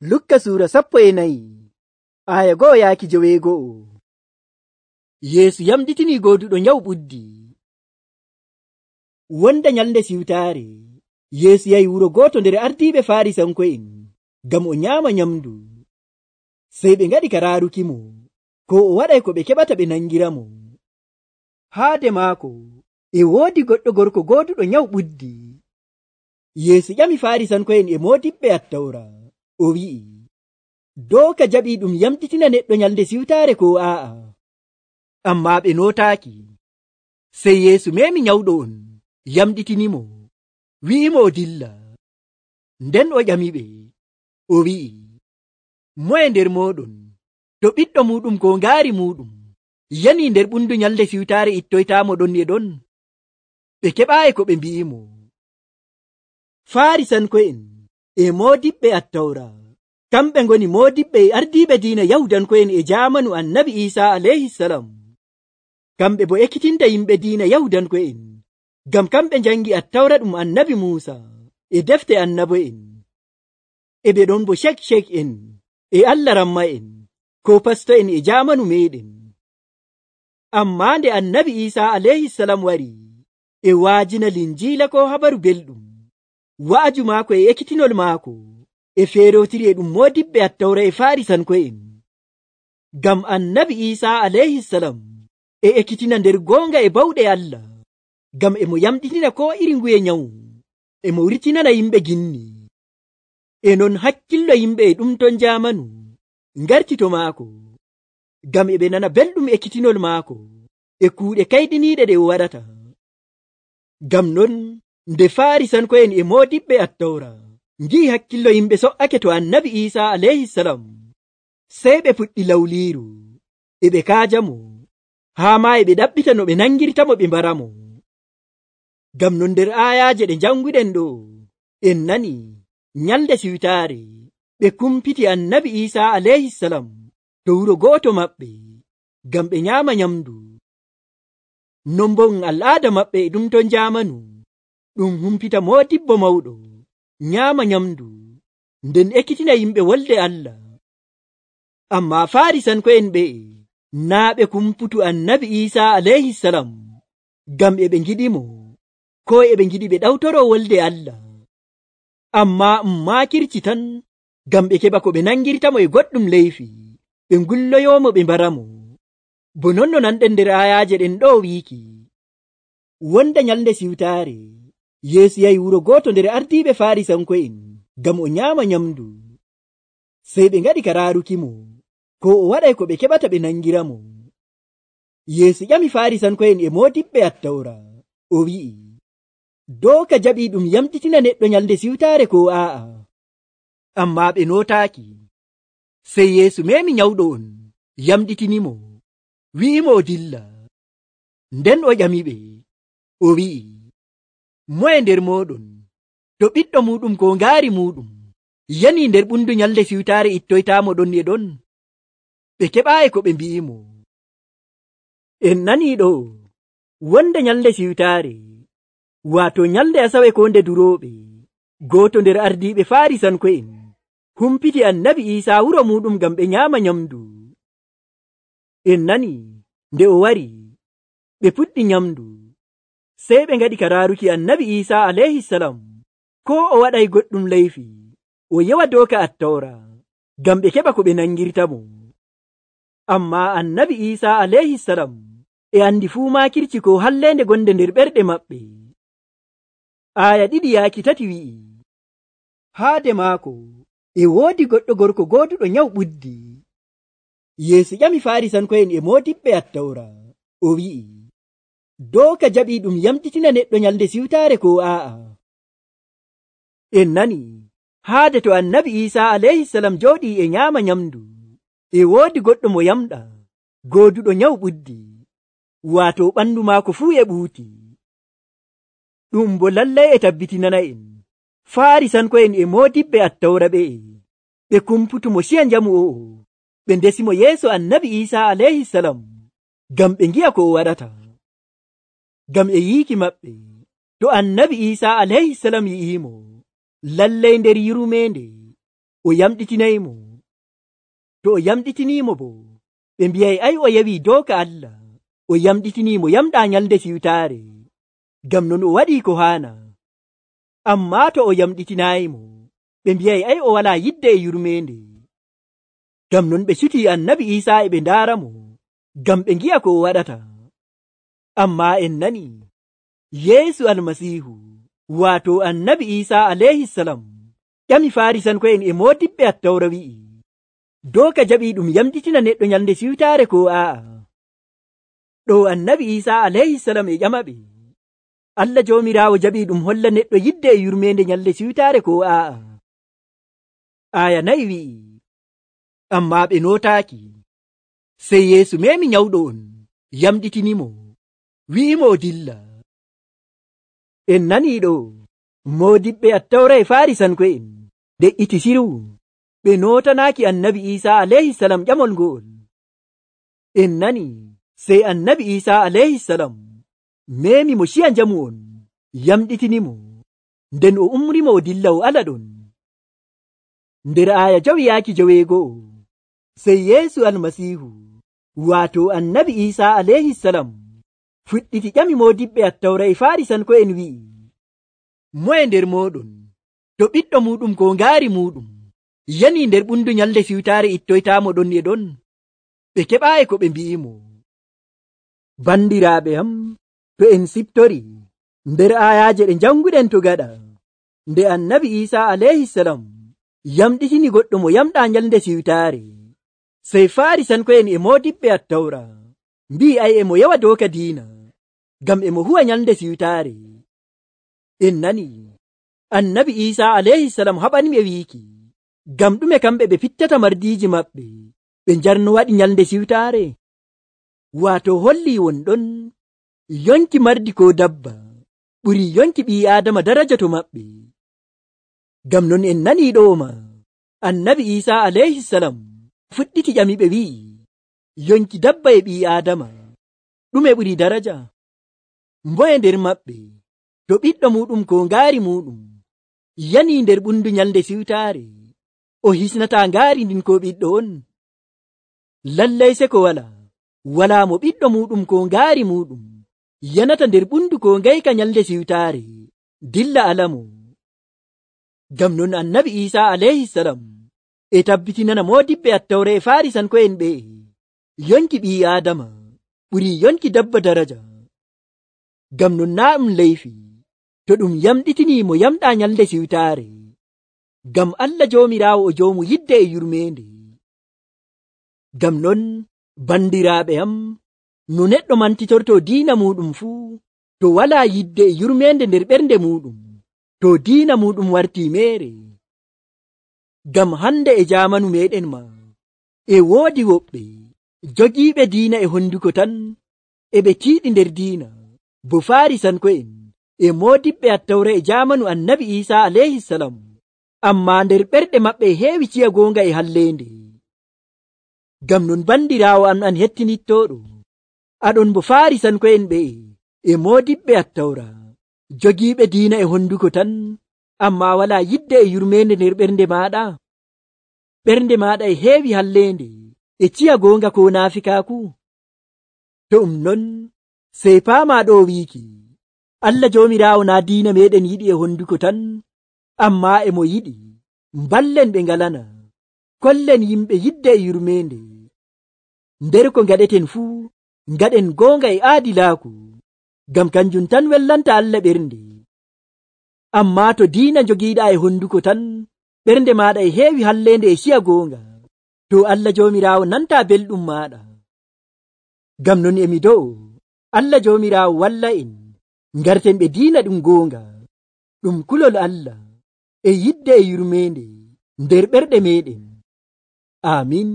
Lukka suura 14 aya 1 yaaki 9. Yeesu yamɗitini gooduɗo nyawu ɓuddi. Wonda nyalnde siwtaare, Yeesu yahi wuro gooto nder ardiiɓe Faarisanko'en ngam o nyaama nyamndu. Sey ɓe ngaɗi ka raarukimo ko o waɗay ko ɓe keɓata ɓe nangiramo. Haade maako e woodi goɗɗo gorko gooduɗo nyawu ɓuddi. Yeesu ƴami Faarisanko'en e moodiɓɓe Attawra, o wi'i, dooka jaɓii ɗum yamɗitina neɗɗo nyalnde siwtaare ko aa'a? Ammaa ɓe nootaaki. Sey Yeesu meemi nyawɗo on, yamɗitinimo, wi'imo o dilla. Nden o ƴamiɓe, o wi'i, moye nder mooɗon to ɓiɗɗo muuɗum ko ngaari muuɗum yanii nder ɓundu nyalnde siwtaare ittoytaamo ɗon e ɗon? Ɓe keɓaayi ko ɓe mbi'imo. Faarisanko'en e moodiɓɓe Attawra kamɓe ngoni moodiɓɓe e ardiiɓe diina Yahudanko'en e jaamanu Annabi Iisaa alayhisalam. Kamɓe bo ekkitinta yimɓe diina Yahudanko'en ngam kamɓe njangi Attawra ɗum Annabi Muusa e defte annabo'en. E ɓe ɗon bo cek en e Allah ramma'en ko pasto'en e jaamanu meeɗen. Ammaa nde Annabi Iisaa alayhisalam wari e waajina Linjiila ko habaru belɗum, wa'aju maako e ekkitinol maako e feerotiri e ɗum moodiɓɓe Attawra e Faarisanko'en. Ngam Annabi Iisaa alayhisalam e ekkitina nder goonga e bawɗe Allah, ngam e mo yamɗitina ko iri nguye nyawu, e mo wurtinana yimɓe ginni. E non hakkillo yimɓe e ɗum ton jaamanu ngarti to maako, ngam e ɓe nana belɗum ekkitinol maako e kuuɗe kayɗiniiɗe ɗe o waɗata. Ngam non nde Faarisanko'en e moodiɓɓe Attawra ngi'i hakkillo yimɓe so''ake to Annabi Iisaa alayhisalam, sey ɓe puɗɗi lawliiru e ɓe kaajamo, haa maa e ɓe ɗaɓɓita no ɓe nangirtamo ɓe mbaramo. Ngam non nder aayaaje ɗe njannguɗen ɗo, en nani nyalnde siwtaare ɓe kumpiti Annabi Iisaa alayhisalam to wuro gooto maɓɓe ngam ɓe nyaama nyamndu. Non bo al'aada maɓɓe e ɗum ton jaamanu ɗum humpita moodibbo mawɗo nyaama nyamndu nden ekkitina yimɓe wolde Allah. Ammaa Faarisanko'en ɓe'e naa ɓe kumputu Annabi Iisaa alayhisalam ngam e ɓe ngiɗimo ko e ɓe ngiɗi ɓe ɗawtoro wolde Allah, ammaa maakirci tan ngam ɓe keɓa ko ɓe nangirtamo e goɗɗum leyfi ɓe ngulloyoomo ɓe mbaramo. Bo non no nanɗen nder aayaaje ɗen ɗo wiiki, wonda nyalnde siwtaare Yeesu yahi wuro gooto nder ardiiɓe Faarisanko'en ngam o nyaama nyamndu. Sey ɓe ngaɗi ka raarukimo ko o waɗay ko ɓe keɓata ɓe nangiramo. Yeesu ƴami Faarisanko'en e moodiɓɓe Attawra, o wi'i, dooka jaɓii ɗum yamɗitina neɗɗo nyalnde siwtaare ko aa'a? Ammaa ɓe nootaaki. Sey Yeesu meemi nyawɗo on, yamɗitinimo, wi'imo o dilla. Nden o ƴamiɓe, o wi'i, moye nder mooɗon to ɓiɗɗo muuɗum ko ngaari muuɗum yanii nder ɓundu nyalnde siwtaare ittoytaamo ɗon e ɗon? Ɓe keɓaayi ko ɓe mbi'imo. En nanii ɗo, wonde nyalnde siwtaare, waato nyalnde Asawe ko nde durooɓe, gooto nder ardiiɓe Faarisanko'en humpiti Annabi Iisaa wuro muuɗum ngam ɓe nyaama nyamndu. En nani nde o wari ɓe puɗɗi nyamndu, sey ɓe ngaɗi ka raaruki Annabi Iisaa alayhisalam ko o waɗay goɗɗum leyfi o yewa dooka Attawra ngam ɓe keɓa ko ɓe nangirtamo. Ammaa Annabi Iisaa alayhisalam e andi fuu maakirci ko halleende gonde nder ɓerɗe maɓɓe. Aaya 2 yaaki 3 wi'i, haade maako e woodi goɗɗo gorko gooduɗo nyawu ɓuddi. Yeesu ƴami Faarisanko'en e moodiɓɓe Attawra, o wi'i, dooka jaɓii ɗum yamɗitina neɗɗo nyalnde siwtaare ko aa'a? En nani haade to Annabi Iisaa alayhisalam jooɗii e nyaama nyamndu, e woodi goɗɗo mo yamɗa gooduɗo nyawu ɓuddi, waato ɓanndu maako fuu e ɓuuti. Ɗum bo lallay e tabbitinana en Faarisanko'en e moodiɓɓe Attawra ɓe kumputu mo siya njamu o'o, ɓe ndesimo yeeso Annabi Iisaa alayhisalam ngam ɓe ngi'a ko o waɗata. Ngam e yiiki maɓɓe, to Annabi Iisaa alayhisalam yi'imo, lallay nder yurmeende o yamɗitinaymo. To o yamɗitinimo bo, ɓe mbiyay ay o yawi doka Allah, o yamɗitinimo yamɗa nyalde siwtaare, ngam non o waɗi ko haana. Amma to o yamɗitinayimo, ɓe mbiyay ay o wala yidde e yurmende. Ngam non ɓe cuti annabi Isa e ɓe ndaaramo, ngam ɓe ngi'a ko o waɗata. Amma en nani, Yeesu almasihu, waato annabi Isa alayhisalam, ƴami Farisanko'en e moodiɓɓe Attawra wi'i, doka jaɓi ɗum yamɗitina neɗɗo nyalde siwtaare ko a'a. Ɗo annabi Isa alayhisalam e ƴamaɓe, Allah Joomiraawo jaɓi ɗum holla neɗɗo yidde e yurmende nyalde siwtaare ko a'a. Aya 4 wi'i, amma ɓe nootaaki. Sey Yeesu memi nyawɗo on, yamɗitinimo, wi'imo o dilla. En nani ɗo, moodiɓɓe Attawra e Farisanko'en de'iti siru, ɓe nootanaaki annabi Isa alayhisalam ƴamol ngo'ol. En nani, sey annabi Isa alayhisalam memi mo shiya njamu on, yamɗitinimo, nden o umrimo o dilla o ala ɗon. Nder aya 5 sey Yeesu almasihu, waato annabi Isa alayhisalam, fuɗɗiti ƴami moodiɓɓe Attawra e Farisanko'en wi'i, moye nder moɗon, to ɓiɗɗo muɗum ko ngaari muɗum yani nder ɓundu nyalde siwtaare ittoytamo ɗon e ɗon? Ɓe keɓaayi ko ɓe mbi'imo. Bandiraaɓe am, to en siptori nder ayaje ɗe janguɗen to gaɗa, nde annabi Isa alayhisalam yamɗitini goɗɗo mo yamɗa nyalde siwtaare, sey Farisanko'en e moodiɓɓe Attawra mbi'i ay emo yawa doka diina, ngam emo huwa nyalde siwtaare. En nani, annabi Isa alayhisalam haɓaniɓe wiiki, ngam ɗume kamɓe ɓe fittata mardiiji maɓɓe ɓe njarno waɗi nyalde siwtaare? Waato holli wonɗon yonki mardi ko dabba ɓuri yonki ɓii Aadama daraja to maɓɓe. Ngam non en nani ɗo'oma, annabi Isa alayhisalam fuɗɗiti ƴamiɓe wi'i, yonki dabba e ɓii Aadama ɗume ɓuri daraja? Mboye nder maɓɓe to ɓiɗɗo muɗum ko ngaari muɗum yani nder ɓundu nyalde siwtaare, o hisnata ngaari ndin ko ɓiɗɗo on? Lallay se ko wala mo ɓiɗɗo muɗum ko ngaari muɗum yanata nder ɓundu ko ngayka nyalde siwtaare dilla alamo. Ngam non annabi Isa alayhisalam e tabbitinana moodiɓɓe Attawra e Farisanko'en ɓe yonki ɓii Aadama ɓuri yonki dabba daraja. Ngam non na ɗum leyfi to ɗum yamɗitini mo yamɗa nyalde siwtaare, ngam Allah Joomiraawo o joomu yidde e yurmende. Ngam non bandiraaɓe am, no neɗɗo mantitorto diina muɗum fuu, to wala yidde e yurmende nder ɓernde muɗum, to diina muɗum warti mere. Ngam hande e jamanu meɗen ma, e woodi woɓɓe jogiiɓe diina e honduko tan, e ɓe tiiɗi nder diina, bo Farisanko'en e moodiɓɓe Attawra e jamanu annabi Isa alayhisalam, amma nder ɓerɗe maɓɓe heewi ciya goonga e hallende. Ngam non bandiraawo am an hettinittoɗo, aɗon bo Farisanko'en ɓe e moodiɓɓe Attawra jogiiɓe diina e honduko tan, amma wala yidde e yurmende nder ɓernde maɗa. Ɓernde maɗa e heewi hallende e ciya goonga ko naafikaaku. To non sey paama ɗo wiiki, Allah Joomiraawo na diina meɗen yiɗi e honduko tan, amma emo yiɗi mballen ɓe ngalana, kollen yimɓe yidde e yurmende. Nder ko ngaɗeten fuu, ngaɗen goonga e aadilaaku, ngam kanjum tan wellanta Allah ɓernde. Amma to diina jogiiɗa e honduko tan, ɓernde maɗa e heewi hallende e ciya goonga, to Allah Joomiraawo nanta belɗum maɗa. Ngam non emi do'o Allah Joomiraawo walla en ngarten ɓe diina ɗum goonga, ɗum kulol Allah e yidde e yurmende nder ɓerɗe meɗen. Amin.